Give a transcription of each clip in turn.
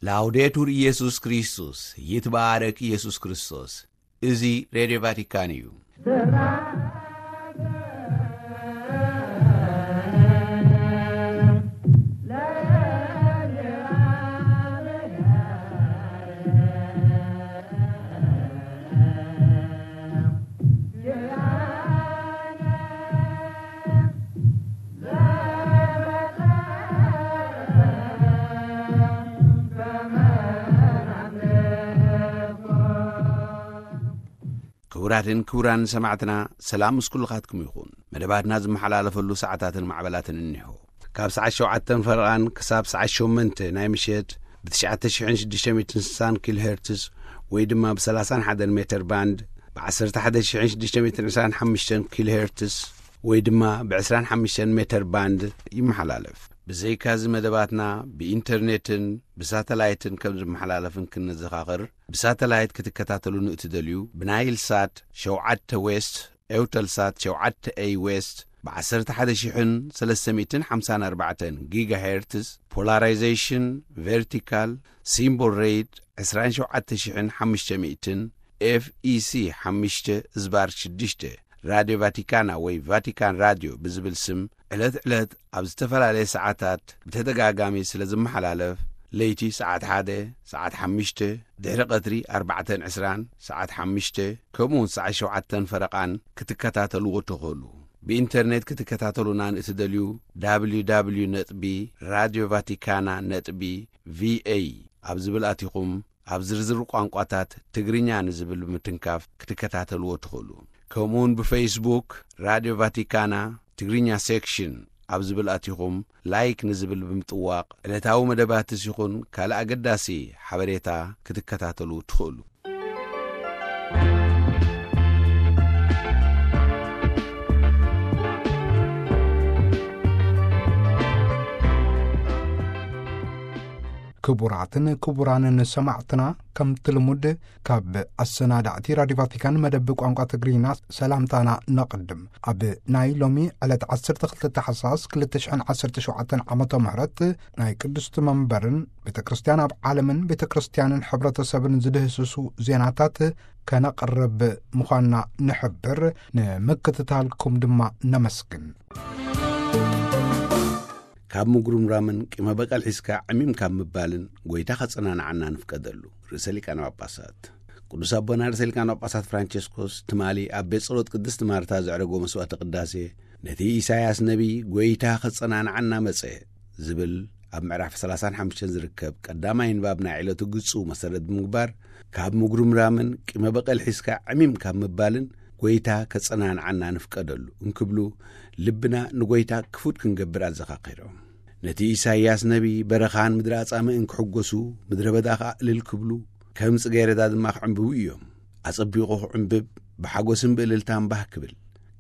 ላውዴቱር ኢየሱስ ክርስቶስ፣ ይትባረክ ኢየሱስ ክርስቶስ። እዚ ሬድዮ ቫቲካን እዩ። ክቡራትን ክቡራን ሰማዕትና፣ ሰላም ምስ ኩልኻትኩም ይኹን። መደባትና ዝመሓላለፈሉ ሰዓታትን ማዕበላትን እኒሆ። ካብ ሰዓት ሸውዓተን ፈረቓን ክሳብ ሰዓት ሸሞንተ ናይ ምሸት ብ ትሽዓተ ሽሕን ሽዱሽተ ሚእትን ስሳን ኪሎ ሄርትስ ወይ ድማ ብ ሰላሳን ሓደን ሜተር ባንድ፣ ብ ዓሰርተ ሓደ ሽሕን ሽዱሽተ ሚእትን ዕስራን ሓሙሽተን ኪሎ ሄርትስ ወይ ድማ ብ ዕስራን ሓሙሽተን ሜተር ባንድ ይመሓላለፍ። ብዘይካዚ መደባትና ብኢንተርኔትን ብሳተላይትን ከም ዝመሓላለፍን ክንዘኻኽር፣ ብሳተላይት ክትከታተሉ ንእትደልዩ፣ ብናይል ሳት ሸውዓተ ዌስት፣ ኤውተል ሳት ሸውዓተ ኤይ ዌስት፣ ብ ዓሰርተ ሓደ ሽሕን ሰለስተ ሚእትን ሓምሳን ኣርባዕተን ጊጋ ሄርትስ፣ ፖላራይዜሽን ቨርቲካል፣ ሲምቦል ሬት ዕስራን ሸውዓተ ሽሕን ሓሙሽተ ሚእትን፣ ኤፍ ኢ ሲ ሓሙሽተ ዝባር ሽዱሽተ፣ ራድዮ ቫቲካና ወይ ቫቲካን ራድዮ ብዝብል ስም ዕለት ዕለት ኣብ ዝተፈላለየ ሰዓታት ብተደጋጋሚ ስለ ዝመሓላለፍ፣ ለይቲ ሰዓት ሓደ፣ ሰዓት ሓሙሽተ፣ ድሕሪ ቀትሪ ኣርባዕተን ዕስራን፣ ሰዓት ሓሙሽተ፣ ከምኡ እውን ሰዓት ሸውዓተን ፈረቓን ክትከታተልዎ ትኽእሉ። ብኢንተርኔት ክትከታተሉና ንእትደልዩ፣ www ነጥቢ ራድዮ ቫቲካና ነጥቢ ቪኤ ኣብ ዝብል ኣቲኹም ኣብ ዝርዝር ቋንቋታት ትግርኛ ንዝብል ብምትንካፍ ክትከታተልዎ ትኽእሉ። ከምኡውን ብፌስቡክ ራድዮ ቫቲካና ትግርኛ ሴክሽን ኣብ ዝብል ኣቲኹም ላይክ ንዝብል ብምጥዋቕ ዕለታዊ መደባትስ ይኹን ካልእ ኣገዳሲ ሓበሬታ ክትከታተሉ ትኽእሉ። ክቡራትን ክቡራንን ሰማዕትና፣ ከምቲ ልሙድ ካብ ኣሰናዳእቲ ራድዮ ቫቲካን መደብ ቋንቋ ትግርኛ ሰላምታና ነቕድም። ኣብ ናይ ሎሚ ዕለት ዓሰርተ ክልተ ታሕሳስ ክልተ ሽሕን ዓሰርተ ሸውዓተን ዓመተ ምህረት ናይ ቅድስቲ መንበርን ቤተ ክርስቲያን ኣብ ዓለምን ቤተ ክርስቲያንን ሕብረተሰብን ዝድህስሱ ዜናታት ከነቕርብ ምዃንና ንሕብር። ንምክትታልኩም ድማ ነመስግን። ካብ ምጉርምራምን ቂመ በቀል ሒዝካ ዕሚም ካብ ምባልን ጎይታ ከጸናንዓና ንፍቀደሉ። ርእሰ ሊቃነ ጳጳሳት ቅዱስ ኣቦና ርእሰ ሊቃነ ጳጳሳት ፍራንቸስኮስ ትማሊ ኣብ ቤት ጸሎት ቅድስቲ ማርታ ዘዕረጎ መስዋዕተ ቅዳሴ፣ ነቲ ኢሳያስ ነቢይ ጎይታ ከጸናንዓና መጸ ዝብል ኣብ ምዕራፍ ሰላሳን ሓሙሽተን ዝርከብ ቀዳማይ ንባብ ናይ ዕለቱ ግጹ መሰረት ብምግባር፣ ካብ ምጉርምራምን ቂመ በቀል ሒዝካ ዕሚም ካብ ምባልን ጎይታ ከጸናንዓና ንፍቀደሉ እንክብሉ፣ ልብና ንጎይታ ክፉት ክንገብር ኣዘኻኺሮም። ነቲ ኢሳይያስ ነቢይ በረኻን ምድሪ ኣጻምእን ክሕጎሱ፣ ምድረ በዳ ኸኣ እልል ክብሉ፣ ከም ጽጌረዳ ድማ ክዕምብቡ እዮም። ኣጸቢቑ ክዕምብብ፣ ብሓጎስን ብእልልታን ባህ ክብል፣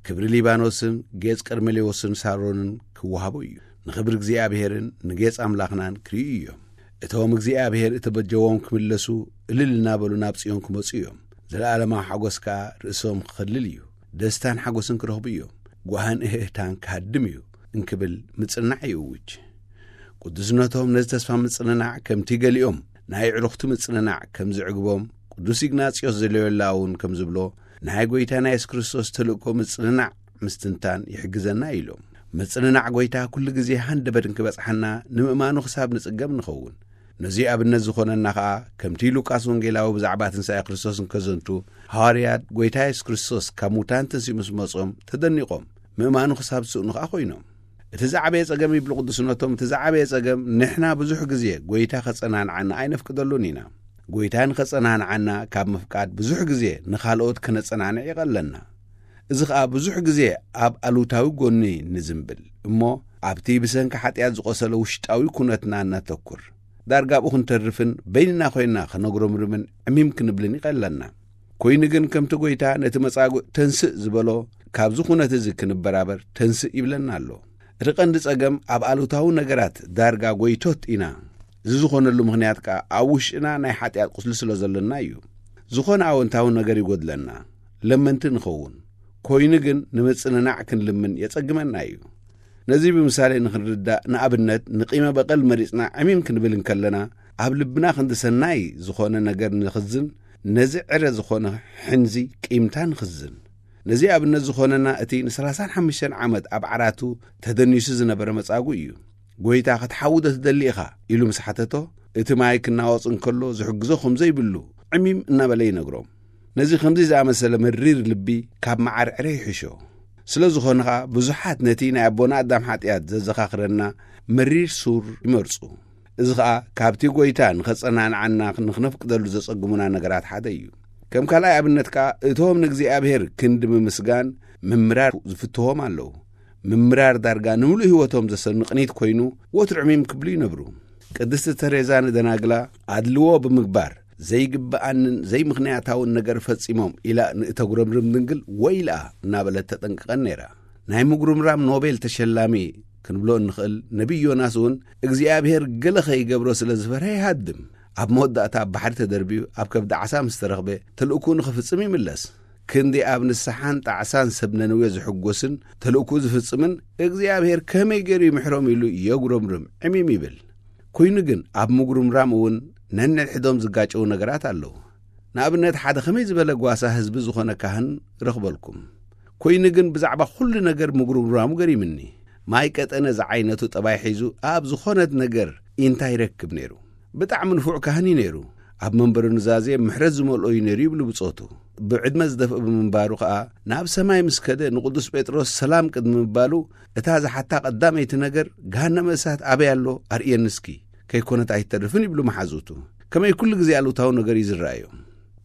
ክብሪ ሊባኖስን ጌጽ ቀርሜሌዎስን ሳሮንን ክወሃቦ እዩ። ንኽብሪ እግዚኣብሄርን ንጌጽ ኣምላኽናን ክርእዩ እዮም። እቶም እግዚኣብሄር እተበጀዎም ክምለሱ፣ እልል እናበሉ ናብ ጽዮን ክመጹ እዮም። ዘለኣለማዊ ሓጎስ ከኣ ርእሶም ክኸልል እዩ። ደስታን ሓጎስን ክረኽቡ እዮም። ጓህን እህህታን ክሃድም እዩ እንክብል ምጽንናዕ ይእውጅ። ቅዱስነቶም ነዚ ተስፋ ምጽንናዕ ከምቲ ገሊኦም ናይ ኣዕሩኽቲ ምጽንናዕ ከም ዝዕግቦም፣ ቅዱስ ኢግናጽዮስ ዘልዮላ እውን ከም ዝብሎ፣ ናይ ጐይታና የሱስ ክርስቶስ ተልእኮ ምጽንናዕ ምስትንታን ይሕግዘና ኢሎም። ምጽንናዕ ጐይታ ኩሉ ግዜ ሃንደበት እንክበጽሓና ንምእማኑ ክሳብ ንጽገም ንኸውን። ነዚ ኣብነት ዝኾነና ኸኣ፣ ከምቲ ሉቃስ ወንጌላዊ ብዛዕባ ትንሳኤ ክርስቶስ እንከዘንቱ፣ ሃዋርያት ጐይታ የሱስ ክርስቶስ ካብ ሙታን ተንሲኡ ምስ መጾም ተደኒቖም፣ ምእማኑ ክሳብ ዝስእኑ ኸኣ ኾይኖም። እቲ ዝዓበየ ጸገም ይብሉ ቅዱስነቶም፣ እቲ ዝዓበየ ጸገም ንሕና ብዙሕ ግዜ ጐይታ ኸጸናንዓና ኣይነፍቅደሉን ኢና። ጐይታ ንኸጸናንዓና ካብ ምፍቃድ ብዙሕ ግዜ ንኻልኦት ከነጸናንዕ ይቐለና። እዚ ኸኣ ብዙሕ ግዜ ኣብ ኣሉታዊ ጐኒ ንዝንብል እሞ ኣብቲ ብሰንኪ ሓጢኣት ዝቖሰለ ውሽጣዊ ኩነትና እነተኩር። ዳርጋ ኣብኡ ክንተርፍን በይንና ኾይንና ኸነጉረምርምን ዕሚም ክንብልን ይቐለና። ኮይኑ ግን ከምቲ ጐይታ ነቲ መጻጉዕ ተንስእ ዝበሎ፣ ካብዚ ኩነት እዚ ክንበራበር ተንስእ ይብለና ኣሎ። እቲ ቀንዲ ጸገም ኣብ ኣሉታዊ ነገራት ዳርጋ ጐይቶት ኢና። እዚ ዝኾነሉ ምኽንያት ከኣ ኣብ ውሽጥና ናይ ሓጢኣት ቁስሊ ስለ ዘሎና እዩ። ዝኾነ ኣወንታዊ ነገር ይጎድለና፣ ለመንቲ ንኸውን። ኮይኑ ግን ንምጽንናዕ ክንልምን የጸግመና እዩ። ነዚ ብምሳሌ ንኽንርዳእ፣ ንኣብነት ንቂመ በቐል መሪጽና ዕሚም ክንብል እንከለና፣ ኣብ ልብና ክንዲ ሰናይ ዝኾነ ነገር ንኽዝን፣ ነዚ ዕረ ዝኾነ ሕንዚ ቂምታ ንኽዝን። ነዚ ኣብነት ዝኾነና እቲ ን35 ዓመት ኣብ ዓራቱ ተደኒሱ ዝነበረ መጻጉ እዩ። "ጎይታ፣ ክትሓዊ ዶ ትደሊ ኢኻ?" ኢሉ ምስ ሓተቶ፣ እቲ ማይ ክናወጽ እንከሎ ዝሕግዞ ከም ዘይብሉ ዕሚም እናበለ ይነግሮም። ነዚ ከምዚ ዝኣመሰለ መሪር ልቢ ካብ መዓር ዕረ ይሕሾ። ስለ ዝኾነ ኸኣ ብዙሓት ነቲ ናይ ኣቦና ኣዳም ሓጢኣት ዘዘኻኽረና መሪር ሱር ይመርጹ። እዚ ኸኣ ካብቲ ጎይታ ንኸጸናንዓና ንኽነፍቅደሉ ዘጸግሙና ነገራት ሓደ እዩ። ከም ካልኣይ ኣብነት ከኣ እቶም ንእግዚኣብሔር ክንዲ ምምስጋን ምምራር ዝፍትዎም ኣለዉ። ምምራር ዳርጋ ንምሉእ ህይወቶም ዘሰንቕ ኒት ኮይኑ ወትሩ ዕሚም ክብሉ ይነብሩ። ቅድስቲ ተሬዛ ንደናግላ ኣድልዎ ብምግባር ዘይግብኣንን ዘይምኽንያታውን ነገር ፈጺሞም ኢላ ንእተጉረምርም ድንግል ወይልኣ እናበለት ተጠንቅቐን ነይራ። ናይ ምጉርምራም ኖቤል ተሸላሚ ክንብሎ እንኽእል ነቢይ ዮናስ እውን እግዚኣብሔር ገለ ኸይገብሮ ስለ ዝፈርሀ ይሃድም። ኣብ መወዳእታ ኣብ ባሕሪ ተደርብዩ ኣብ ከብዲ ዓሳ ምስ ተረኽበ ተልእኩ ንኽፍጽም ይምለስ። ክንዲ ኣብ ንስሓን ጣዕሳን ሰብ ነነዌ ዝሕጎስን ተልእኩ ዝፍጽምን እግዚኣብሔር ከመይ ገይሩ ይምሕሮም ኢሉ የጉረምርም ዕሚም ይብል። ኮይኑ ግን ኣብ ምጉርምራም እውን ነንሕዶም ዝጋጨው ነገራት ኣለዉ። ንኣብነት ሓደ ከመይ ዝበለ ጓሳ ህዝቢ ዝኾነ ካህን ረኽበልኩም። ኮይኑ ግን ብዛዕባ ኩሉ ነገር ምጉርምራሙ ገሪምኒ። ማይ ቀጠነ ዝዓይነቱ ጠባይ ሒዙ ኣብ ዝኾነት ነገር ኢንታ ይረክብ ነይሩ። ብጣዕሚ ንፉዕ ካህን እዩ ነይሩ። ኣብ መንበሩ ኑዛዜ ምሕረት ዝመልኦ እዩ ነይሩ ይብሉ ብጾቱ። ብዕድመ ዝደፍእ ብምንባሩ ኸኣ ናብ ሰማይ ምስ ከደ ንቅዱስ ጴጥሮስ ሰላም ቅድሚ ምባሉ እታ ዝሓታ ቀዳመይቲ ነገር "ገሃነመ እሳት ኣበይ ኣሎ ኣርእየኒ እስኪ፣ ከይኮነት ኣይትተርፍን" ይብሉ መሓዙቱ። ከመይ ኩሉ ግዜ ኣሉታዊ ነገር እዩ ዝረኣዮም።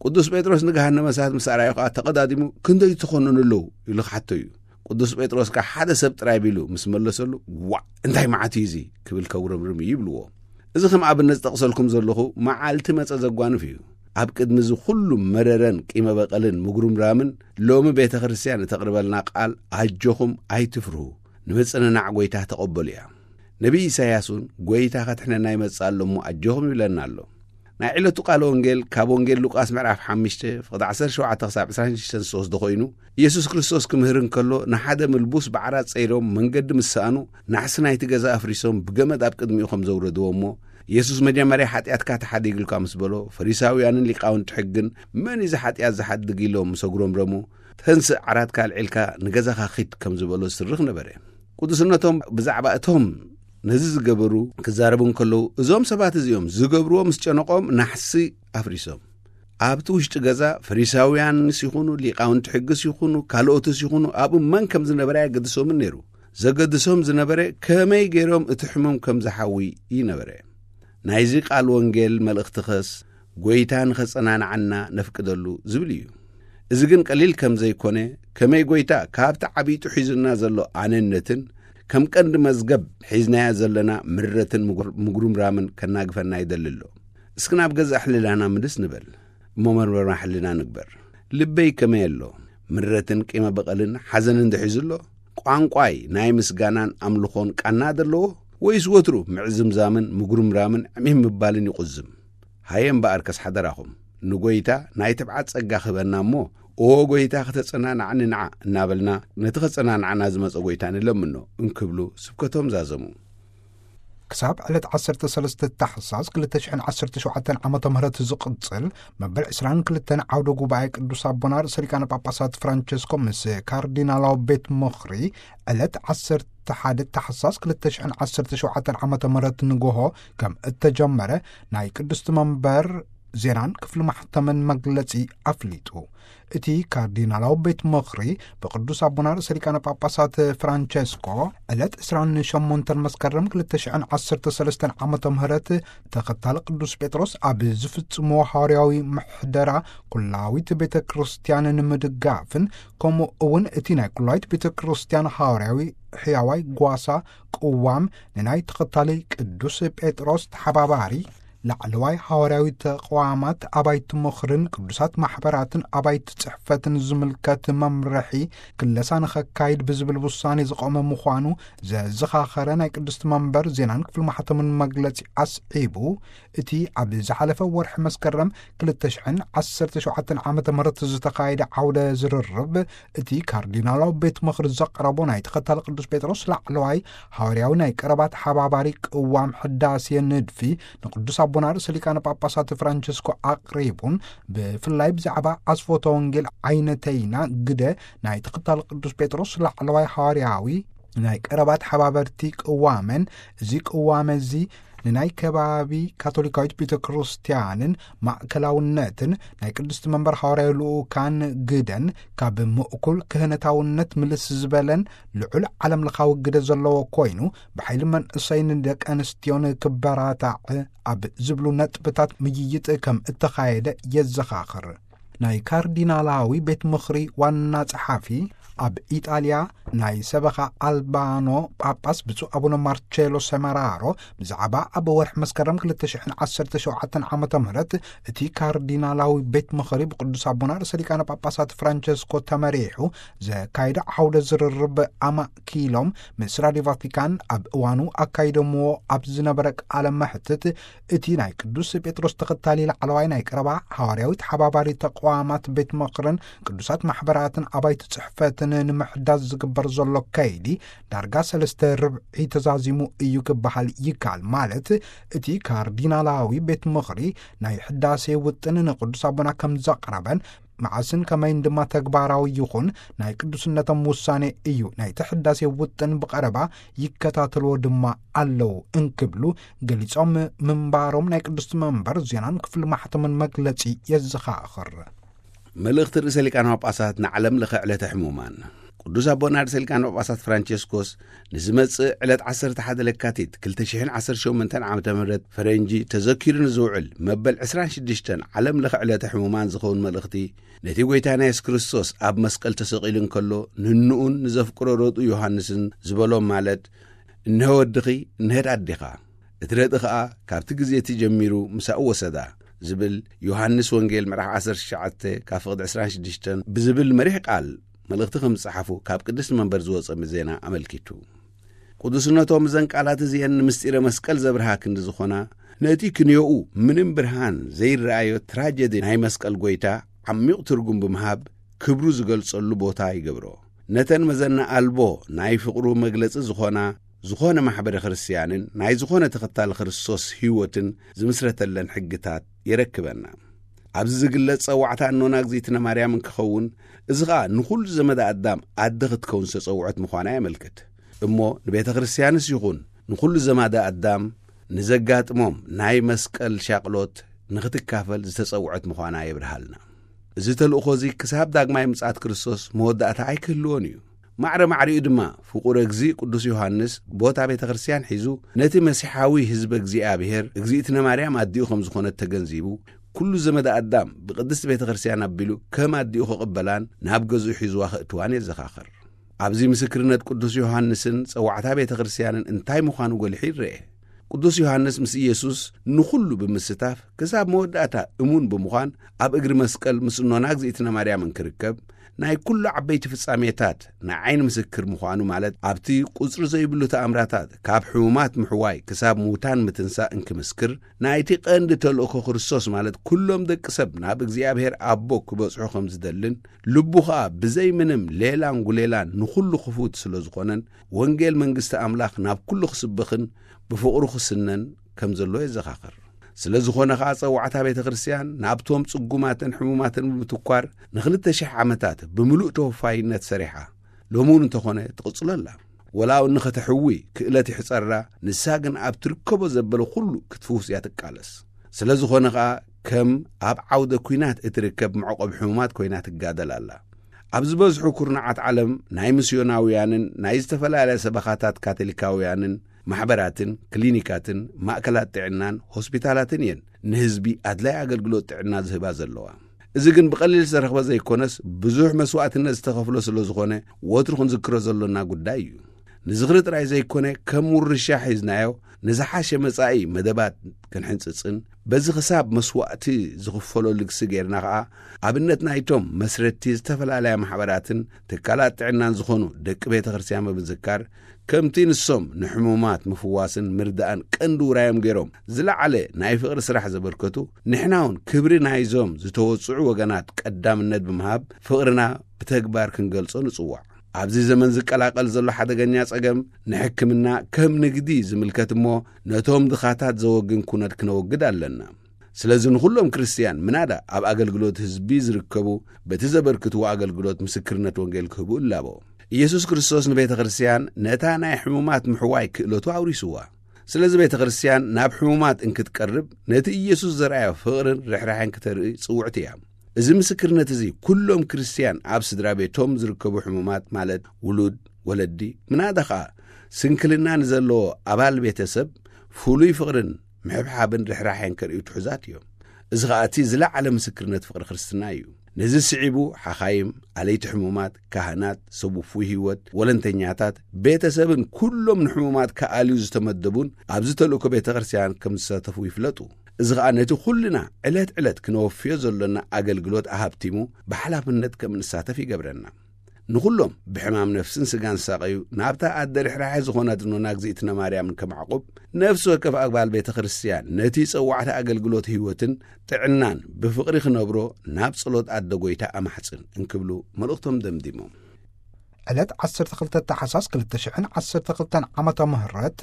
ቅዱስ ጴጥሮስ ንገሃነመ እሳት ምስ ኣርኣዮ ኸኣ ተቐዳዲሙ "ክንደይ ትኾኑን ኣለዉ?" ኢሉ ክሓቶ እዩ። ቅዱስ ጴጥሮስ ከኣ "ሓደ ሰብ ጥራይ" ቢሉ ምስ መለሰሉ "ዋእ እንታይ መዓት እዩ እዚ?" ክብል ከጉረምርም እዩ ይብልዎ። እዚ ከም ኣብነት ዝጠቕሰልኩም ዘለኹ መዓልቲ መጸ ዘጓንፍ እዩ። ኣብ ቅድሚ እዚ ኩሉ መረረን ቂመ በቐልን ምጉርምራምን ሎሚ ቤተ ክርስቲያን እተቕርበልና ቃል ኣጆኹም ኣይትፍርሁ፣ ንምጽንናዕ ጎይታ ተቐበሉ እያ። ነቢይ ኢሳይያስ እውን ጎይታ ከድሕነና ይመጽእ ኣሎ እሞ ኣጆኹም ይብለና ኣሎ። ናይ ዕለቱ ቃል ወንጌል ካብ ወንጌል ሉቃስ ምዕራፍ 5 ፍቕዲ 17 ክሳብ 26 ዝወስዶ ኮይኑ፣ ኢየሱስ ክርስቶስ ክምህር እንከሎ ንሓደ ምልቡስ ብዓራት ጸይሮም መንገዲ ምስ ሰኣኑ ናሕሲ ናይቲ ገዛ ኣፍሪሶም ብገመድ ኣብ ቅድሚኡ ከም ዘውረድዎ እሞ፣ ኢየሱስ መጀመርያ ሓጢኣትካ ተሓዲግልካ ምስ በሎ፣ ፈሪሳውያንን ሊቃውንቲ ሕግን "መን እዩ እዚ ሓጢኣት ዝሓድግ?" ኢሎም ምስ ኣጉረምረሙ፣ "ተንስእ ዓራትካ ኣልዒልካ ንገዛኻ ኺድ" ከም ዝበሎ ዝስርኽ ነበረ። ቅዱስነቶም ብዛዕባ እቶም ነዚ ዝገበሩ ክዛረቡ እንከለዉ፣ እዞም ሰባት እዚኦም ዝገብርዎ ምስ ጨነቖም ናሕሲ ኣፍሪሶም። ኣብቲ ውሽጢ ገዛ ፈሪሳውያንስ ይኹኑ፣ ሊቃውንቲ ሕግስ ይኹኑ፣ ካልኦትስ ይኹኑ፣ ኣብኡ መን ከም ዝነበረ ኣየገድሶምን ነይሩ። ዘገድሶም ዝነበረ ከመይ ገይሮም እቲ ሕሙም ከም ዝሓዊ ይነበረ። ናይዚ ቃል ወንጌል መልእኽቲ ኸስ፣ ጎይታ ንኸጸናንዓና ነፍቅደሉ ዝብል እዩ። እዚ ግን ቀሊል ከም ዘይኮነ፣ ከመይ ጎይታ ካብቲ ዓቢጡ ሒዙና ዘሎ ኣነነትን፣ ከም ቀንዲ መዝገብ ሒዝናዮ ዘለና ምረትን ምጉር-፣ ምጉርምራምን ከናግፈና ይደሊ ኣሎ። እስኪ ናብ ገዛእ ሕልናና ምልስ ንበል። እሞ መርመራ ሕልና ንግበር። ልበይ ከመይ ኣሎ? ምረትን ቂመ በቐልን ሓዘንን ዶ ሒዙ ኣሎ? ቋንቋይ ናይ ምስጋናን ኣምልኾን ቃና ዶ ኣለዎ? ወይስ ወትሩ ምዕዝምዛምን ምጉርምራምን ዕሚም ምባልን ይቑዝም? ሃየ እምበኣርከስ ሓደራኹም፣ ንጎይታ ናይ ትብዓት ጸጋ ክህበና እሞ፣ "ኦ ጎይታ፣ ከተጸናንዓኒ ንዓ" እናበልና፣ ነቲ ከጸናንዓና ዝመጸ ጎይታ ንለምኖ እንክብሉ ስብከቶም ዛዘሙ። ክሳብ ዕለት 13 ታሕሳስ 2017 ዓመተ ምህረት ዝቕጽል መበል 22 ዓውደ ጉባኤ ቅዱስ ኣቦና ርእሰ ሊቃነ ጳጳሳት ፍራንቸስኮ ምስ ካርዲናላዊ ቤት ምኽሪ ዕለት 11 ታሕሳስ 2017 ዓመተ ምህረት ንግሆ ከም እተጀመረ ናይ ቅድስቲ መንበር ዜናን ክፍሊ ማሕተምን መግለጺ ኣፍሊጡ። እቲ ካርዲናላዊ ቤት ምኽሪ ብቅዱስ ኣቦና ርእሰ ሊቃነ ጳጳሳት ፍራንቸስኮ ዕለት 28 መስከረም 2013 ዓመተ ምህረት ተኸታሊ ቅዱስ ጴጥሮስ ኣብ ዝፍጽሞ ሃዋርያዊ ምሕደራ ኩላዊት ቤተ ክርስቲያን ንምድጋፍን ከምኡ እውን እቲ ናይ ኩላዊት ቤተ ክርስቲያን ሃዋርያዊ ሕያዋይ ጓሳ ቅዋም ንናይ ተኸታሊ ቅዱስ ጴጥሮስ ተሓባባሪ ላዕለዋይ ሃዋርያዊ ተቋማት ኣባይቲ ምኽርን ቅዱሳት ማሕበራትን ኣባይቲ ጽሕፈትን ዝምልከት መምርሒ ክለሳ ንኸካይድ ብዝብል ውሳኔ ዝቖመ ምዃኑ ዘዘኻኸረ ናይ ቅድስቲ መንበር ዜናን ክፍሊ ማሕተምን መግለጺ ኣስዒቡ፣ እቲ ኣብ ዝሓለፈ ወርሒ መስከረም 2017 ዓመተ ምህረት ዝተኻየደ ዓውደ ዝርርብ፣ እቲ ካርዲናላዊ ቤት ምኽሪ ዘቕረቦ ናይ ተኸታሊ ቅዱስ ጴጥሮስ ላዕለዋይ ሃዋርያዊ ናይ ቀረባ ተሓባባሪ ቅዋም ሕዳሴ ንድፊ ንቅዱስ ኣቦና ርእሰ ሊቃነ ጳጳሳት ፍራንቸስኮ ኣቕሪቡን፣ ብፍላይ ብዛዕባ ኣስፎተ ወንጌል ዓይነተይና ግደ ናይ ተኸታሊ ቅዱስ ጴጥሮስ ላዕለዋይ ሃዋርያዊ ናይ ቀረባ ተሓባበርቲ ቅዋመን፣ እዚ ቅዋመ እዚ ንናይ ከባቢ ካቶሊካዊት ቤተ ክርስቲያንን ማእከላውነትን ናይ ቅድስቲ መንበር ሃዋርያዊ ልኡካን ግደን ካብ ምእኩል ክህነታውነት ምልስ ዝበለን ልዑል ዓለም ለኻዊ ግደ ዘለዎ ኮይኑ፣ ብሓይሊ መንእሰይን ደቂ ኣንስትዮን ክበራታዕ ኣብ ዝብሉ ነጥብታት ምይይጥ ከም እተኻየደ የዘኻኽር። ናይ ካርዲናላዊ ቤት ምኽሪ ዋና ጸሓፊ፣ ኣብ ኢጣልያ ናይ ሰበኻ ኣልባኖ ጳጳስ ብፁዕ ኣቡነ ማርቼሎ ሰመራሮ፣ ብዛዕባ ኣብ ወርሒ መስከረም ክልተ ሽሕን ዓሰርተ ሸውዓተን ዓመተ ምህረት እቲ ካርዲናላዊ ቤት ምኽሪ ብቅዱስ ኣቦና ርእሰ ሊቃነ ጳጳሳት ፍራንቸስኮ ተመሪሑ ዘካይዶ ዓውደ ዝርርብ ኣማእኪሎም፣ ምስ ራድዮ ቫቲካን ኣብ እዋኑ ኣካይዶምዎ ኣብ ዝነበረ ቃለ መሕትት፣ እቲ ናይ ቅዱስ ጴጥሮስ ተኸታሊ ላዕለዋይ ናይ ቀረባ ሃዋርያዊ ተሓባባሪ ተቋማት ቤት ምኽርን ቅዱሳት ማሕበራትን ኣባይቲ ጽሕፈትን ንምሕዳስ ዝግበር ዘሎ ከይዲ ዳርጋ ሰለስተ ርብዒ ተዛዚሙ እዩ ክበሃል ይከኣል። ማለት፣ እቲ ካርዲናላዊ ቤት ምኽሪ ናይ ሕዳሴ ውጥን ንቅዱስ ኣቦና ከም ዘቕረበን፣ መዓስን ከመይን ድማ ተግባራዊ ይኹን ናይ ቅዱስነቶም ውሳኔ እዩ። ናይቲ ሕዳሴ ውጥን ብቐረባ ይከታተልዎ ድማ ኣለዉ እንክብሉ ገሊጾም ምንባሮም ናይ ቅድስቲ መንበር ዜናን ክፍሊ ማሕተምን መግለጺ የዘኻኽር። መልእኽቲ ርእሰ ሊቃነ ጳጳሳት ንዓለም ለኸ ዕለተ ሕሙማን። ቅዱስ ኣቦና ርእሰ ሊቃነ ጳጳሳት ፍራንቸስኮስ ንዝመጽእ ዕለት ዓሰርተ ሓደ ለካቲት ክልተ ሽሕን ዓሰርተ ሸሞንተን ዓመተ ምህረት ፈረንጂ ተዘኪሩ ንዝውዕል መበል ዕስራን ሽዱሽተን ዓለም ለኸ ዕለተ ሕሙማን ዝኸውን መልእኽቲ፣ ነቲ ጐይታና የሱስ ክርስቶስ ኣብ መስቀል ተሰቒሉ እንከሎ፣ ንንኡን ንዘፍቅሮ ረድኡ ዮሃንስን ዝበሎም፣ ማለት፣ "እንሆ ወድኺ፣ እንሄት ኣዴኻ፣ እቲ ረድኢ ኸኣ ካብቲ ግዜ እቲ ጀሚሩ ምሳኡ ወሰዳ" ዝብል፣ ዮሃንስ ወንጌል ምዕራፍ ዓሰርተ ትሽዓተ ካብ ፍቕዲ ዕስራን ሽዱሽተን ብዝብል መሪሕ ቃል መልእኽቲ ከም ዝጸሓፉ ካብ ቅድስቲ መንበር ዝወጸ ዜና ኣመልኪቱ። ቅዱስነቶም እዘን ቃላት እዚአን ንምስጢረ መስቀል ዘብርሃ ክንዲ ዝኾና፣ ነቲ ክንዮኡ ምንም ብርሃን ዘይረኣዮ ትራጀዲ ናይ መስቀል ጐይታ ዓሚቕ ትርጉም ብምሃብ ክብሩ ዝገልጸሉ ቦታ ይገብሮ። ነተን መዘና ኣልቦ ናይ ፍቕሩ መግለጺ ዝኾና፣ ዝኾነ ማሕበረ ክርስትያንን ናይ ዝኾነ ተኸታሊ ክርስቶስ ህይወትን ዝምስረተለን ሕግታት የረክበና። ኣብዚ ዝግለጽ ጸዋዕታ እኖና እግዚኣብነ ማርያም እንክኸውን፣ እዚ ኸኣ ንኹሉ ዘመደ ኣዳም ኣደ ክትከውን ዝተጸውዐት ምዃና የመልክት። እሞ ንቤተ ክርስትያንስ ይኹን ንኹሉ ዘማደ ኣዳም ንዘጋጥሞም ናይ መስቀል ሻቕሎት ንኽትካፈል ዝተጸውዐት ምዃና የብርሃልና። እዚ ተልእኾ እዚ ክሳብ ዳግማይ ምጽኣት ክርስቶስ መወዳእታ ኣይክህልዎን እዩ። ማዕረ ማዕሪኡ ድማ ፍቁረ እግዚእ ቅዱስ ዮሃንስ ቦታ ቤተ ክርስትያን ሒዙ ነቲ መሲሓዊ ህዝበ እግዚኣብሔር እግዚኣብነ ማርያም ኣዲኡ ከም ዝኾነት ተገንዚቡ፣ ኩሉ ዘመደ ኣዳም ብቅድስቲ ቤተ ክርስትያን ኣቢሉ ከም ኣዲኡ ክቕበላን ናብ ገዝኡ ሒዝዋ ከእትዋን የዘኻኽር። ኣብዚ ምስክርነት ቅዱስ ዮሃንስን ጸዋዕታ ቤተ ክርስትያንን እንታይ ምዃኑ ጎሊሑ ይረኤ። ቅዱስ ዮሃንስ ምስ ኢየሱስ ንኹሉ ብምስታፍ ክሳብ መወዳእታ እሙን ብምዃን ኣብ እግሪ መስቀል ምስ እኖና እግዚኣብነ ማርያም እንክርከብ፣ ናይ ኩሉ ዓበይቲ ፍጻሜታት ንዓይኒ ምስክር ምዃኑ፣ ማለት ኣብቲ ቁጽሪ ዘይብሉ ተኣምራታት ካብ ሕሙማት ምሕዋይ ክሳብ ምውታን ምትንሳእ እንክምስክር፣ ናይቲ ቀንዲ ተልእኮ ክርስቶስ፣ ማለት ኩሎም ደቂ ሰብ ናብ እግዚኣብሔር ኣቦ ክበጽሑ ከም ዝደልን፣ ልቡ ኸኣ ብዘይ ምንም ሌላን ጉሌላን ንኹሉ ክፉት ስለ ዝኾነን፣ ወንጌል መንግስቲ ኣምላኽ ናብ ኩሉ ክስበኽን ብፍቕሩ ክስነን ከም ዘሎ የዘኻኽር። ስለ ዝኾነ ኸኣ ጸዋዕታ ቤተ ክርስትያን ናብቶም ጽጉማትን ሕሙማትን ብምትኳር ንኽልተ ሽሕ ዓመታት ብምሉእ ተወፋይነት ሰሪሓ፣ ሎሚ እውን እንተኾነ ትቕጽሎ ኣላ። ወላ እውን ንኸተሕዊ ክእለት ይሕጸራ፣ ንሳ ግን ኣብ ትርከቦ ዘበለ ኩሉ ክትፍውስ እያ ትቃለስ። ስለ ዝኾነ ኸኣ ከም ኣብ ዓውደ ኲናት እትርከብ መዕቆቢ ሕሙማት ኮይና ትጋደል ኣላ። ኣብ ዝበዝሑ ኩርናዓት ዓለም ናይ ምስዮናውያንን ናይ ዝተፈላለያ ሰበኻታት ካቶሊካውያንን ማሕበራትን ክሊኒካትን ማእከላት ጥዕናን ሆስፒታላትን እየን ንህዝቢ ኣድላይ ኣገልግሎት ጥዕና ዝህባ ዘለዋ። እዚ ግን ብቐሊል ዝተረኽበ ዘይኮነስ፣ ብዙሕ መስዋእትነት ዝተኸፍሎ ስለ ዝኾነ፣ ወትሩ ክንዝክሮ ዘሎና ጉዳይ እዩ። ንዝኽሪ ጥራይ ዘይኮነ፣ ከም ውርሻ ሒዝናዮ፣ ንዝሓሸ መጻኢ መደባት ክንሕንጽጽን፣ በዚ ክሳብ መስዋእቲ ዝኽፈሎ ልግሲ ጌርና ኸኣ፣ ኣብነት ናይቶም መስረትቲ ዝተፈላለያ ማሕበራትን ትካላት ጥዕናን ዝኾኑ ደቂ ቤተ ክርስትያን ብምዝካር፣ ከምቲ ንሶም ንሕሙማት ምፍዋስን ምርዳእን ቀንዲ ውራዮም ገይሮም ዝለዓለ ናይ ፍቕሪ ስራሕ ዘበርከቱ፣ ንሕና እውን ክብሪ ናይዞም ዝተወጽዑ ወገናት ቀዳምነት ብምሃብ ፍቕርና ብተግባር ክንገልጾ ንጽዋዕ። ኣብዚ ዘመን ዝቀላቐል ዘሎ ሓደገኛ ጸገም ንሕክምና ከም ንግዲ ዝምልከት እሞ፣ ነቶም ድኻታት ዘወግን ኩነት ክነወግድ ኣለና። ስለዚ ንኹሎም ክርስትያን ምናዳ ኣብ ኣገልግሎት ህዝቢ ዝርከቡ፣ በቲ ዘበርክትዎ ኣገልግሎት ምስክርነት ወንጌል ክህቡ እላቦ። ኢየሱስ ክርስቶስ ንቤተ ክርስትያን ነታ ናይ ሕሙማት ምሕዋይ ክእለቱ ኣውሪስዋ። ስለዚ ቤተ ክርስትያን ናብ ሕሙማት እንክትቀርብ፣ ነቲ ኢየሱስ ዘርኣዮ ፍቕርን ርሕራሕን ክተርኢ ጽውዕቲ እያ። እዚ ምስክርነት እዚ ኩሎም ክርስትያን ኣብ ስድራ ቤቶም ዝርከቡ ሕሙማት ማለት ውሉድ፣ ወለዲ፣ ምናዳ ኸኣ ስንክልና ንዘለዎ ኣባል ቤተሰብ ፍሉይ ፍቕርን ምሕብሓብን ርሕራሕን ከርእዩ ትሑዛት እዮም። እዚ ኸኣ እቲ ዝለዓለ ምስክርነት ፍቕሪ ክርስትና እዩ። ነዚ ስዒቡ ሓኻይም፣ ኣለይቲ ሕሙማት፣ ካህናት፣ ሰብ ውፉይ ህይወት፣ ወለንተኛታት፣ ቤተሰብን ኩሎም ንሕሙማት ክኣልዩ ዝተመደቡን ኣብዚ ተልእኮ ቤተ ክርስትያን ከም ዝሳተፉ ይፍለጡ። እዚ ኸኣ ነቲ ኩልና ዕለት ዕለት ክነወፍዮ ዘሎና ኣገልግሎት ኣሃብቲሙ ብሓላፍነት ከም እንሳተፍ ይገብረና። ንኹሎም ብሕማም ነፍስን ስጋን ዝሳቐዩ ናብታ ኣደ ርሕራሐ ዝኾነት እኖና እግዚኣብእትነ ማርያምን ከማዕቁብ፣ ነፍሲ ወከፍ ኣግባል ቤተ ክርስትያን ነቲ ጸዋዕቲ ኣገልግሎት ህይወትን ጥዕናን ብፍቕሪ ክነብሮ ናብ ጸሎት ኣደ ጎይታ ኣማሕጽን እንክብሉ መልእኽቶም ደምዲሞም። ዕለት ዓሰርተ ክልተ ተሓሳስ ክልተ ሽሕን ዓሰርተ ክልተን ዓመተ ምህረት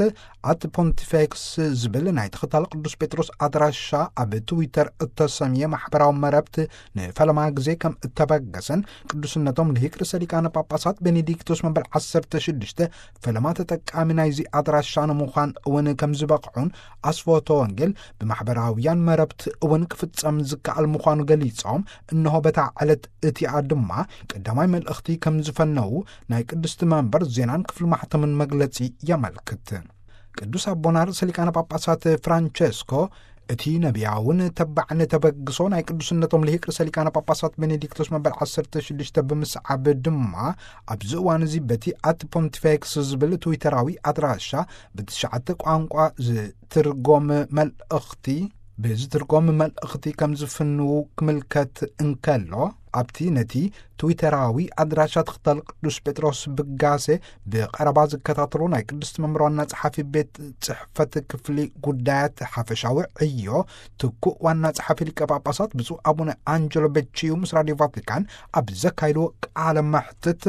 ኣት ፖንቲፌክስ ዝብል ናይ ተኸታሊ ቅዱስ ጴጥሮስ ኣድራሻ ኣብ ትዊተር እተሰምየ ማሕበራዊ መረብት ንፈለማ ግዜ ከም እተበገሰን ቅዱስነቶም ልሂቅ ርእሰ ሊቃነ ጳጳሳት ቤኔዲክቶስ መበል ዓሰርተ ሽዱሽተ ፈለማ ተጠቃሚ ናይዚ ኣድራሻ ንምዃን እውን ከም ዝበቕዑን ኣስፎቶ ወንጌል ብማሕበራውያን መረብት እውን ክፍጸም ዝከኣል ምዃኑ ገሊጾም፣ እንሆ በታ ዕለት እቲኣ ድማ ቀዳማይ መልእኽቲ ከም ዝፈነዉ ናይ ቅድስቲ መንበር ዜናን ክፍሊ ማሕተምን መግለጺ የመልክት። ቅዱስ ኣቦና ርእሰ ሊቃነ ጳጳሳት ፍራንቸስኮ እቲ ነቢያውን ተባዕን ተበግሶ ናይ ቅዱስነቶም ልሂቅ ርእሰ ሊቃነ ጳጳሳት ቤኔዲክቶስ መበል ዓሰርተ ሽዱሽተ ብምስዓብ ድማ ኣብዚ እዋን እዚ በቲ ኣት ፖንቲፌክስ ዝብል ትዊተራዊ ኣድራሻ ብትሽዓተ ቋንቋ ዝትርጎም መልእኽቲ ብዝትርጎም መልእኽቲ ከም ዝፍንዉ ክምልከት እንከሎ፣ ኣብቲ ነቲ ትዊተራዊ ኣድራሻ ተኸታሊ ቅዱስ ጴጥሮስ ብጋሴ ብቐረባ ዝከታተሉ ናይ ቅድስቲ መንበር ዋና ጸሓፊ ቤት ጽሕፈት ክፍሊ ጉዳያት ሓፈሻዊ ዕዮ ትኩእ ዋና ጸሓፊ ሊቀ ጳጳሳት ብፁዕ ኣቡነ ኣንጀሎ በቺዩ ምስ ራድዮ ቫቲካን ኣብ ዘካይድዎ ቃለ መሕትት፣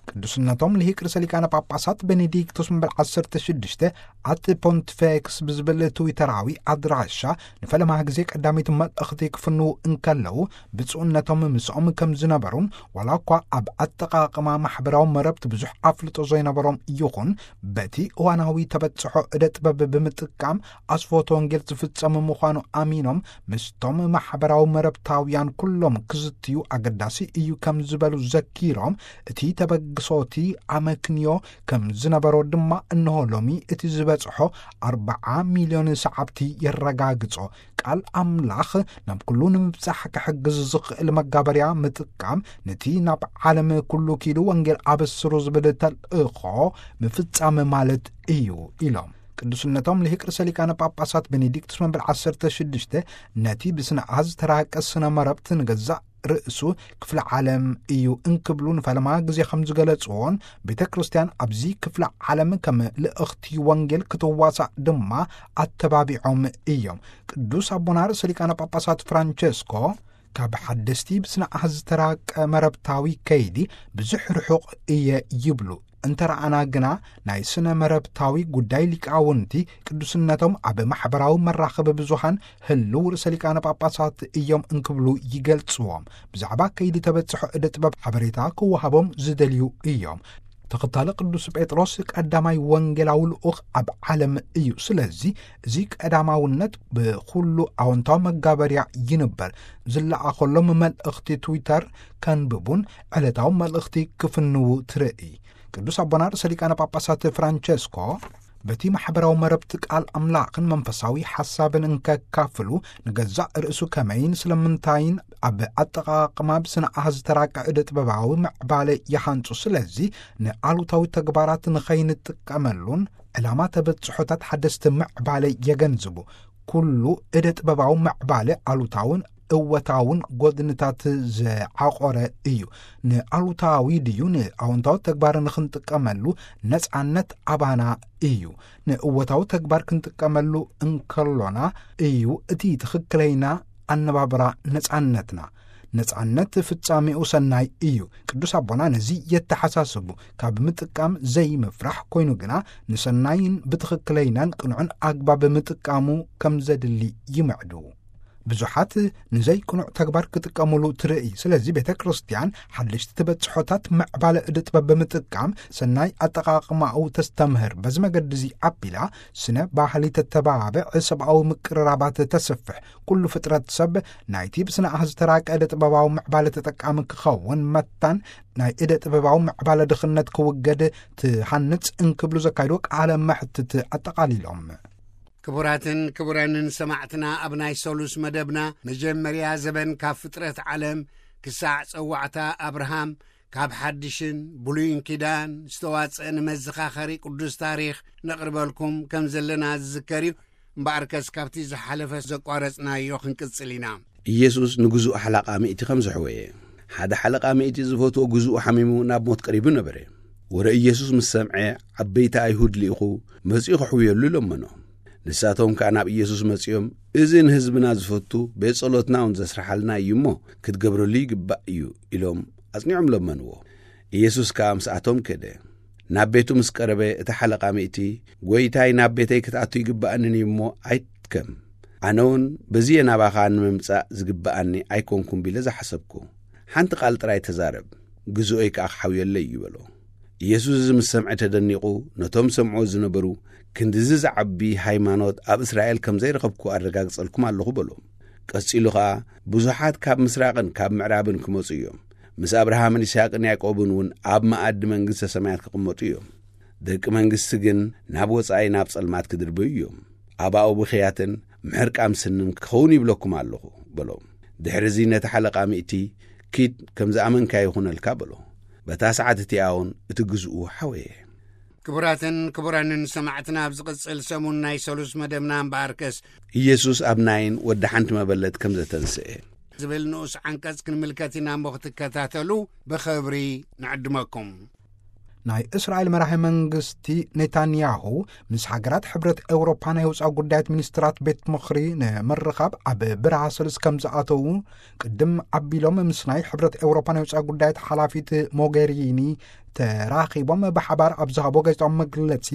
ቅዱስነቶም ልሂቅ ርእሰ ሊቃነ ጳጳሳት ቤኔዲክቶስ መበል ዓሰርተ ሽዱሽተ ኣት ፖንቲፌክስ ብዝብል ትዊተራዊ ኣድራሻ ንፈለማ ግዜ ቀዳመይቲ መልእኽቲ ክፍንዉ እንከለዉ፣ ብፁዕነቶም ምስኦም ከም ዝነበሩን ዋላ እኳ ኣብ ኣጠቓቕማ ማሕበራዊ መረብቲ ብዙሕ ኣፍልጦ ዘይነበሮም ይኹን፣ በቲ እዋናዊ ተበጽሖ እደ ጥበብ ብምጥቃም ኣስፎቶ ወንጌል ዝፍጸም ምዃኑ ኣሚኖም ምስቶም ማሕበራዊ መረብታውያን ኩሎም ክዝትዩ ኣገዳሲ እዩ ከም ዝበሉ ዘኪሮም፣ እቲ ተበግሶቲ ኣመክንዮ ከም ዝነበሮ ድማ እንሆ ሎሚ እቲ ዝበጽሖ ኣርብዓ ሚልዮን ሰዓብቲ የረጋግጾ። ቃል ኣምላኽ ናብ ኩሉ ንምብጻሕ ክሕግዝ ዝኽእል መጋበርያ ምጥቃም፣ ነቲ ናብ ዓለም ኩሉ ኪዱ ወንጌል ኣበስሩ ዝብል ተልእኾ ምፍጻም ማለት እዩ ኢሎም። ቅዱስነቶም ልሂቅ ርእሰ ሊቃነ ጳጳሳት ቤኔዲክቱስ መበል ዓሰርተ ሽዱሽተ ነቲ ብስነ ኣሃዝ ዝተራቀ ስነ መረብት ንገዛእ ርእሱ ክፍለ ዓለም እዩ እንክብሉ ንፈለማ ግዜ ከም ዝገለጽዎን፣ ቤተ ክርስቲያን ኣብዚ ክፍለ ዓለም ከም ልእኽቲ ወንጌል ክትዋሳእ ድማ ኣተባቢዖም እዮም። ቅዱስ ኣቦና ርእሰ ሊቃነ ጳጳሳት ፍራንቸስኮ ካብ ሓደስቲ ብስነ ኣሃዝ ዝተራቀ መረብታዊ ከይዲ ብዙሕ ርሑቕ እየ ይብሉ። እንተ ረኣና ግና ናይ ስነ መረብታዊ ጉዳይ ሊቃውንቲ ቅዱስነቶም ኣብ ማሕበራዊ መራኸቢ ብዙሃን ህልው ርእሰ ሊቃነ ጳጳሳት እዮም እንክብሉ ይገልጽዎም። ብዛዕባ ከይዲ ተበጽሖ እደ ጥበብ ሓበሬታ ክወሃቦም ዝደልዩ እዮም። ተኸታሊ ቅዱስ ጴጥሮስ ቀዳማይ ወንጌላዊ ልኡኽ ኣብ ዓለም እዩ። ስለዚ እዚ ቀዳማውነት ብኹሉ ኣወንታዊ መጋበርያ ይንበር። ዝለኣኸሎም መልእኽቲ ትዊተር ከንብቡን ዕለታዊ መልእኽቲ ክፍንዉ ትርኢ። ቅዱስ ኣቦና ርእሰ ሊቃነ ጳጳሳት ፍራንቸስኮ በቲ ማሕበራዊ መረብቲ ቃል ኣምላኽን መንፈሳዊ ሓሳብን እንከካፍሉ ንገዛእ ርእሱ ከመይን ስለምንታይን ኣብ ኣጠቓቕማ ብስነ ኣሃዝ ዝተራቀ እደ ጥበባዊ ምዕባለ ይሃንጹ። ስለዚ ንኣሉታዊ ተግባራት ንኸይንጥቀመሉን ዕላማ ተበጽሖታት ሓደስቲ ምዕባለ የገንዝቡ። ኩሉ እደ ጥበባዊ ምዕባለ ኣሉታውን እወታውን ጎድንታት ዝዓቆረ እዩ። ንኣሉታዊ ድዩ ንኣወንታዊ ተግባር ንኽንጥቀመሉ ነጻነት ኣባና እዩ። ንእወታዊ ተግባር ክንጥቀመሉ እንከሎና እዩ እቲ ትኽክለይና ኣነባብራ ነጻነትና። ነጻነት ፍጻሜኡ ሰናይ እዩ። ቅዱስ ኣቦና ነዚ የተሓሳስቡ፣ ካብ ምጥቃም ዘይምፍራሕ ኮይኑ ግና ንሰናይን ብትኽክለይናን ቅኑዕን ኣግባብ ምጥቃሙ ከም ዘድሊ ይምዕዱ። ብዙሓት ንዘይቅኑዕ ተግባር ክጥቀሙሉ ትርኢ። ስለዚ ቤተ ክርስቲያን ሓደሽቲ ተበጽሖታት ምዕባለ እደ ጥበብ ብምጥቃም ሰናይ ኣጠቓቕማኡ ተስተምህር። በዚ መገዲ እዚ ኣቢላ ስነ ባህሊ ተተባብዕ፣ ሰብኣዊ ምቅርራባት ተስፍሕ። ኩሉ ፍጥረት ሰብ ናይቲ ብስነ ኣሃዝ ዝተራቀ እደ ጥበባዊ ምዕባለ ተጠቃሚ ክኸውን መታን ናይ እደ ጥበባዊ ምዕባለ ድኽነት ክውገድ ትሃንጽ እንክብሉ ዘካይድዎ ቃለ መሕትት ኣጠቓሊሎም። ክቡራትን ክቡራንን ሰማዕትና፣ ኣብ ናይ ሰሉስ መደብና መጀመርያ ዘበን ካብ ፍጥረት ዓለም ክሳዕ ጸዋዕታ ኣብርሃም፣ ካብ ሓድሽን ብሉይን ኪዳን ዝተዋጸአ ንመዘኻኸሪ ቅዱስ ታሪኽ ነቕርበልኩም ከም ዘለና ዝዝከር እዩ። እምበኣርከስ ካብቲ ዝሓለፈ ዘቋረጽናዮ ክንቅጽል ኢና። ኢየሱስ ንግዙእ ሓለቓ ሚእቲ ከም ዘሕወየ። ሓደ ሓለቓ ሚእቲ ዝፈትዎ ግዙኡ ሓሚሙ ናብ ሞት ቀሪቡ ነበረ። ወረ ኢየሱስ ምስ ሰምዐ፣ ዓበይቲ ኣይሁድ ልኢኹ መጺኡ ክሕውየሉ ለመኖ። ንሳቶም ከኣ ናብ ኢየሱስ መጺኦም፣ "እዚ ንህዝብና ዝፈቱ፣ ቤት ጸሎትና እውን ዘስርሓልና እዩ እሞ፣ ክትገብረሉ ይግባእ እዩ" ኢሎም ኣጽኒዖም ለመንዎ። ኢየሱስ ከኣ ምስኣቶም ከደ። ናብ ቤቱ ምስ ቀረበ፣ እቲ ሓለቓ ሚእቲ፣ "ጐይታይ፣ ናብ ቤተይ ክትኣቱ ይግባኣንን እዩ እሞ፣ ኣይትከም። ኣነ እውን በዚየ ናባኻ ንምምጻእ ዝግባኣኒ ኣይኮንኩን" ቢለ ዝሓሰብኩ። "ሓንቲ ቃል ጥራይ ተዛረብ፣ ግዝኦይ ከኣ ክሓውየለይ እዩ" በሎ። ኢየሱስ እዚ ምስ ሰምዐ ተደኒቑ፣ ነቶም ሰምዕዎ ዝነበሩ፣ "ክንድዚ ዝዓቢ ሃይማኖት ኣብ እስራኤል ከም ዘይረኸብኩ ኣረጋግጸልኩም ኣለኹ" በሎም። ቀጺሉ ኸኣ፣ "ብዙሓት ካብ ምስራቕን ካብ ምዕራብን ክመጹ እዮም። ምስ ኣብርሃምን ይስሃቅን ያዕቆብን እውን ኣብ መኣዲ መንግስተ ሰማያት ክቕመጡ እዮም። ደቂ መንግስቲ ግን ናብ ወጻኢ ናብ ጸልማት ክድርበዩ እዮም። ኣባኡ ብኽያትን ምሕርቃም ስንን ክኸውን ይብለኩም ኣለኹ" በሎም። ድሕሪ እዚ ነቲ ሓለቓ ሚእቲ፣ "ኪድ፣ ከም ዝኣመንካዮ ይኹነልካ" በሎ። በታ ሰዓት እቲኣ እውን እቲ ግዝኡ ሓወየ። ክቡራትን ክቡራንን ሰማዕትና፣ ኣብ ዝቕጽል ሰሙን ናይ ሰሉስ መደብና እምበኣርከስ፣ ኢየሱስ ኣብ ናይን ወዲ ሓንቲ መበለት ከም ዘተንስኤ ዝብል ንኡስ ዓንቀጽ ክንምልከት ኢና እሞ ክትከታተሉ ብኽብሪ ንዕድመኩም። ናይ እስራኤል መራሒ መንግስቲ ኔታንያሁ ምስ ሃገራት ሕብረት ኤውሮፓ ናይ ወጻኢ ጉዳያት ሚኒስትራት ቤት ምኽሪ ንምርኻብ ኣብ ብራሰልስ ከም ዝኣተዉ ቅድም ኣቢሎም ምስ ናይ ሕብረት ኤውሮፓ ናይ ወጻኢ ጉዳያት ሓላፊት ሞጌሪኒ ተራኺቦም ብሓባር ኣብ ዝሃቦ ጋዜጣዊ መግለጺ፣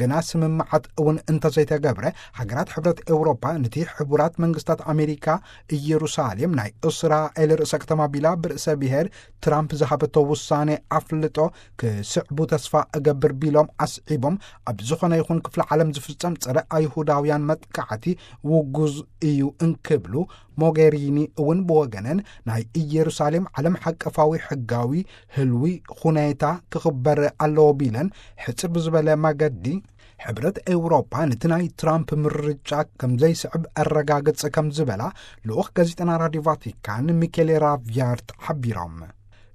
ገና ስምምዓት እውን እንተዘይተገብረ፣ ሃገራት ሕብረት ኤውሮፓ ነቲ ሕቡራት መንግስታት ኣሜሪካ ኢየሩሳሌም ናይ እስራኤል ርእሰ ከተማ ቢላ ብርእሰ ብሔር ትራምፕ ዝሃበቶ ውሳኔ ኣፍልጦ ክስዕቡ ተስፋ እገብር ቢሎም ኣስዒቦም፣ ኣብ ዝኾነ ይኹን ክፍለ ዓለም ዝፍጸም ጸረ ኣይሁዳውያን መጥቃዕቲ ውጉዝ እዩ እንክብሉ፣ ሞጌሪኒ እውን ብወገነን ናይ ኢየሩሳሌም ዓለም ሓቀፋዊ ሕጋዊ ህልዊ ሁኔታ ክኽበር ኣለዎ ቢለን፣ ሕጽር ብዝበለ መገዲ ሕብረት ኤውሮፓ ነቲ ናይ ትራምፕ ምርጫ ከም ዘይስዕብ ኣረጋግጽ ከም ዝበላ ልኡኽ ጋዜጠና ራድዮ ቫቲካን ሚኬሌ ራቪያርት ሓቢሮም።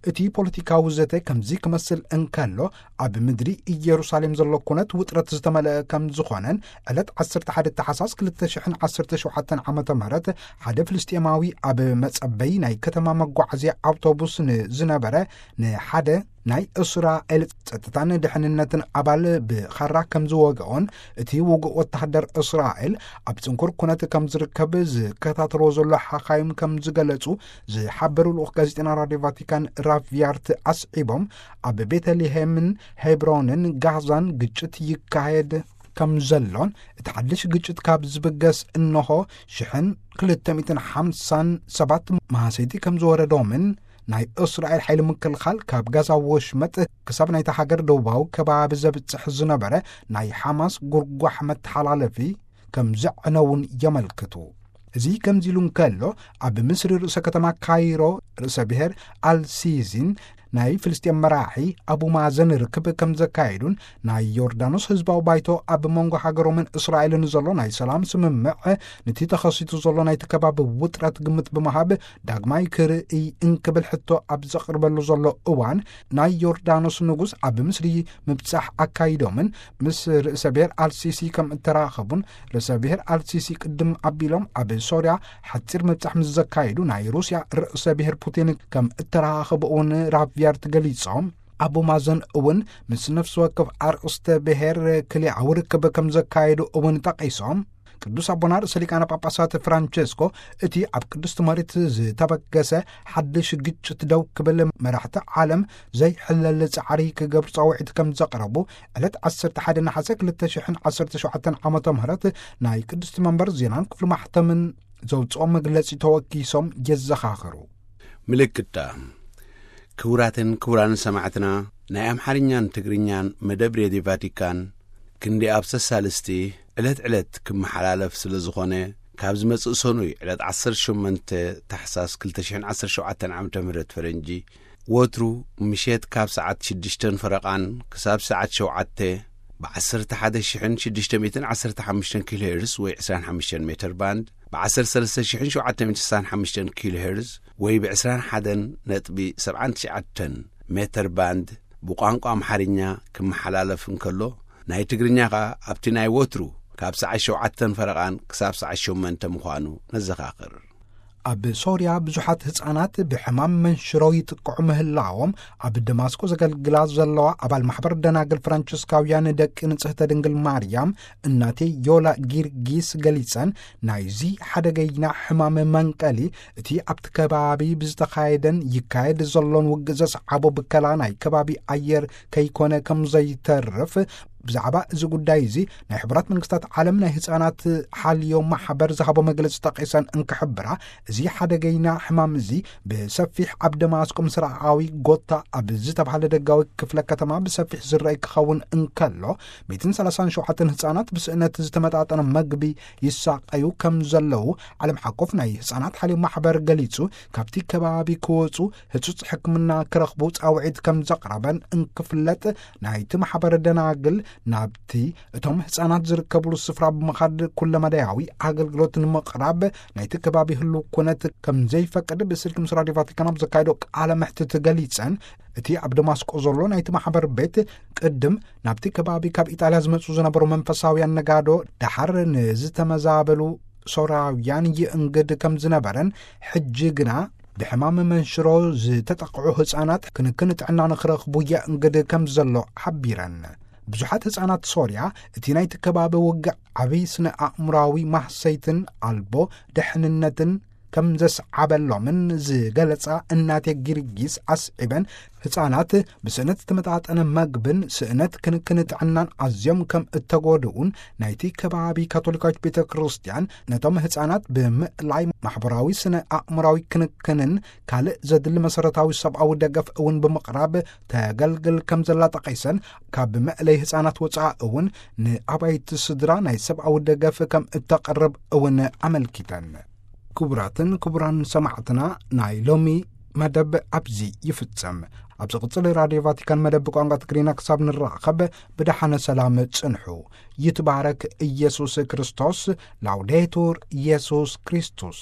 እቲ ፖለቲካዊ ዘተ ከምዚ ክመስል እንከሎ፣ ኣብ ምድሪ ኢየሩሳሌም ዘሎ ኩነት ውጥረት ዝተመልአ ከም ዝኾነን፣ ዕለት ዓሰርተ ሓደ ታሕሳስ ክልተ ሽሕን ዓሰርተ ሸውዓተን ዓመተ ምህረት ሓደ ፍልስጤማዊ ኣብ መጸበይ ናይ ከተማ መጓዓዝያ ኣውቶቡስ ንዝነበረ ንሓደ ናይ እስራኤል ጸጥታን ድሕንነትን ኣባል ብኻራ ከም ዝወግኦን፣ እቲ ውጉእ ወተሃደር እስራኤል ኣብ ጽንኩር ኩነት ከም ዝርከብ ዝከታተልዎ ዘሎ ሓኻይም ከም ዝገለጹ ዝሓበሩ ልኡኽ ጋዜጠና ራድዮ ቫቲካን ራቪያርት ኣስዒቦም፣ ኣብ ቤተልሔምን ሄብሮንን ጋዛን ግጭት ይካየድ ከም ዘሎን፣ እቲ ሓድሽ ግጭት ካብ ዝብገስ እንሆ ሽሕን ክልተ ሚእትን ሓምሳን ሰባት ማህሰይቲ ከም ዝወረዶምን፣ ናይ እስራኤል ሓይሊ ምክልኻል ካብ ጋዛ ወሽመጥ ክሳብ ናይታ ሃገር ደቡባዊ ከባቢ ዘብጽሕ ዝነበረ ናይ ሓማስ ጉርጓሕ መተሓላለፊ ከም ዘዕነውን የመልክቱ። እዚ ከምዚ ኢሉ እንከሎ፣ ኣብ ምስሪ ርእሰ ከተማ ካይሮ ርእሰ ብሔር ኣልሲሲን ናይ ፍልስጤም መራሒ ኣቡ ማዘን ርክብ ከም ዘካየዱን፣ ናይ ዮርዳኖስ ህዝባዊ ባይቶ ኣብ መንጎ ሃገሮምን እስራኤልን ዘሎ ናይ ሰላም ስምምዕ ነቲ ተኸሲቱ ዘሎ ናይቲ ከባቢ ውጥረት ግምት ብምሃብ ዳግማይ ክርእይ እንክብል ሕቶ ኣብ ዘቕርበሉ ዘሎ እዋን፣ ናይ ዮርዳኖስ ንጉስ ኣብ ምስሪ ምብጻሕ ኣካይዶምን ምስ ርእሰ ብሔር ኣልሲሲ ከም እተራኸቡን፣ ርእሰ ብሔር ኣልሲሲ ቅድም ኣቢሎም ኣብ ሶርያ ሓጺር ምብጻሕ ምስ ዘካየዱ፣ ናይ ሩስያ ርእሰ ብሔር ፑቲን ከም እተራኸቡ እውን ራቪያርት ገሊጾም። ኣቡ ማዘን እውን ምስ ነፍሲ ወከፍ ኣርእስተ ብሔር ክልኣዊ ርክብ ከም ዘካየዱ እውን ጠቒሶም። ቅዱስ ኣቦና ርእሰ ሊቃነ ጳጳሳት ፍራንቸስኮ፣ እቲ ኣብ ቅድስቲ መሬት ዝተበገሰ ሓድሽ ግጭት ደው ክብል፣ መራሕቲ ዓለም ዘይሕለል ጻዕሪ ክገብሩ ጻውዒት ከም ዘቕረቡ፣ ዕለት ዓሰርተ ሓደ ነሓሰ ክልተ ሽሕን ዓሰርተ ሸውዓተን ዓመተ ምህረት ናይ ቅድስቲ መንበር ዜናን ክፍሊ ማሕተምን ዘውጽኦ መግለጺ ተወኪሶም የዘኻኽሩ። ምልክታ። ክቡራትን ክቡራን ሰማዕትና፣ ናይ ኣምሓርኛን ትግርኛን መደብ ሬድዮ ቫቲካን ክንዲ ኣብ ሰሳልስቲ ዕለት ዕለት ክመሓላለፍ ስለ ዝኾነ፣ ካብ ዝመጽእ ሰኑይ ዕለት ዓሰርተ ሸሞንተ ታሕሳስ ክልተ ሽሕን ዓሰርተ ሸውዓተን ዓመተ ምህረት ፈረንጂ፣ ወትሩ ምሸት ካብ ሰዓት ሽዱሽተን ፈረቓን ክሳብ ሰዓት ሸውዓተ፣ ብ ዓሰርተ ሓደ ሽሕን ሽዱሽተ ሚእትን ዓሰርተ ሓሙሽተን ኪሎ ሄርዝ ወይ ዕስራን ሓሙሽተን ሜተር ባንድ፣ ብ ዓሰርተ ሰለስተ ሽሕን ሸውዓተ ሚእትን ስሳን ሓሙሽተን ኪሎ ሄርዝ ወይ ብ ዕስራን ሓደን ነጥቢ ሰብዓን ትሽዓተን ሜተር ባንድ ብቋንቋ ኣምሓርኛ ክመሓላለፍ እንከሎ፣ ናይ ትግርኛ ኸኣ ኣብቲ ናይ ወትሩ ካብ ሰዓት ሸውዓተን ፈረቓን ክሳብ ሰዓት ሸሞንተ ምዃኑ ነዘኻኽር። ኣብ ሶርያ ብዙሓት ህጻናት ብሕማም መንሽሮ ይጥቅዑ ምህላዎም ኣብ ደማስቆ ዘገልግላ ዘለዋ ኣባል ማሕበር ደናግል ፍራንቸስካውያን ደቂ ንጽህተ ድንግል ማርያም እናቴ ዮላ ጊርጊስ ገሊጸን፣ ናይዚ ሓደገይና ሕማም መንቀሊ እቲ ኣብቲ ከባቢ ብዝተኻየደን ይካየድ ዘሎን ውግእ ዘስዓቦ ብከላ ናይ ከባቢ ኣየር ከይኮነ ከም ዘይተርፍ፣ ብዛዕባ እዚ ጉዳይ እዚ ናይ ሕቡራት መንግስታት ዓለም ናይ ህጻናት ሓልዮ ማሕበር ዝሃቦ መግለጺ ጠቒሰን እንክሕብራ፣ እዚ ሓደገይና ሕማም እዚ ብሰፊሕ ኣብ ደማስቆ ምስራቓዊ ጎታ ኣብ ዝተባህለ ደጋዊ ክፍለ ከተማ ብሰፊሕ ዝረኣይ ክኸውን እንከሎ፣ ሚእትን ሰላሳን ሸውዓተን ህጻናት ብስእነት ዝተመጣጠነ መግቢ ይሳቐዩ ከም ዘለዉ ዓለም ሓቆፍ ናይ ህጻናት ሓልዮ ማሕበር ገሊጹ፣ ካብቲ ከባቢ ክወጹ ህጹጽ ሕክምና ክረኽቡ ጻውዒት ከም ዘቕረበን እንክፍለጥ፣ ናይቲ ማሕበር ደናግል ናብቲ እቶም ህጻናት ዝርከብሉ ስፍራ ብምኻድ ኩለመዳያዊ ኣገልግሎት ንምቕራብ ናይቲ ከባቢ ህልው ኩነት ከም ዘይፈቅድ ብስልኪ ምስ ራድዮ ቫቲካን ኣብ ዘካየዶ ቃለ መሕትት ገሊጸን፣ እቲ ኣብ ደማስቆ ዘሎ ናይቲ ማሕበር ቤት ቅድም ናብቲ ከባቢ ካብ ኢጣልያ ዝመጹ ዝነበሩ መንፈሳውያን ነጋዶ ደሓር ንዝተመዛበሉ ሶርያውያን ይእንግድ ከም ዝነበረን፣ ሕጂ ግና ብሕማም መንሽሮ ዝተጠቕዑ ህጻናት ክንክን ጥዕና ንኽረኽቡ የእንግድ ከም ዘሎ ሓቢረን። ብዙሓት ህጻናት ሶርያ እቲ ናይቲ ከባቢ ውግእ ዓብዪ ስነ ኣእምራዊ ማህሰይትን ኣልቦ ድሕንነትን ከም ዘስዓበሎምን ዝገለጻ እናቴ ጊርጊስ ኣስዒበን፣ ህጻናት ብስእነት ዝተመጣጠነ መግብን ስእነት ክንክን ጥዕናን ኣዝዮም ከም እተጎድኡን፣ ናይቲ ከባቢ ካቶሊካዊት ቤተ ክርስቲያን ነቶም ህጻናት ብምእላይ ማሕበራዊ ስነ ኣእምራዊ ክንክንን ካልእ ዘድሊ መሰረታዊ ሰብኣዊ ደገፍ እውን ብምቕራብ ተገልግል ከም ዘላ ጠቒሰን፣ ካብ መእለይ ህጻናት ወጻኢ እውን ንኣባይቲ ስድራ ናይ ሰብኣዊ ደገፍ ከም እተቕርብ እውን ኣመልኪተን። ክቡራትን ክቡራን ሰማዕትና፣ ናይ ሎሚ መደብ ኣብዚ ይፍጸም። ኣብ ዝቕጽል ራድዮ ቫቲካን መደብ ብቋንቋ ትግርኛ ክሳብ ንራኸብ ብደሓነ ሰላም ጽንሑ። ይትባረክ ኢየሱስ ክርስቶስ። ላውዴቱር ኢየሱስ ክርስቶስ።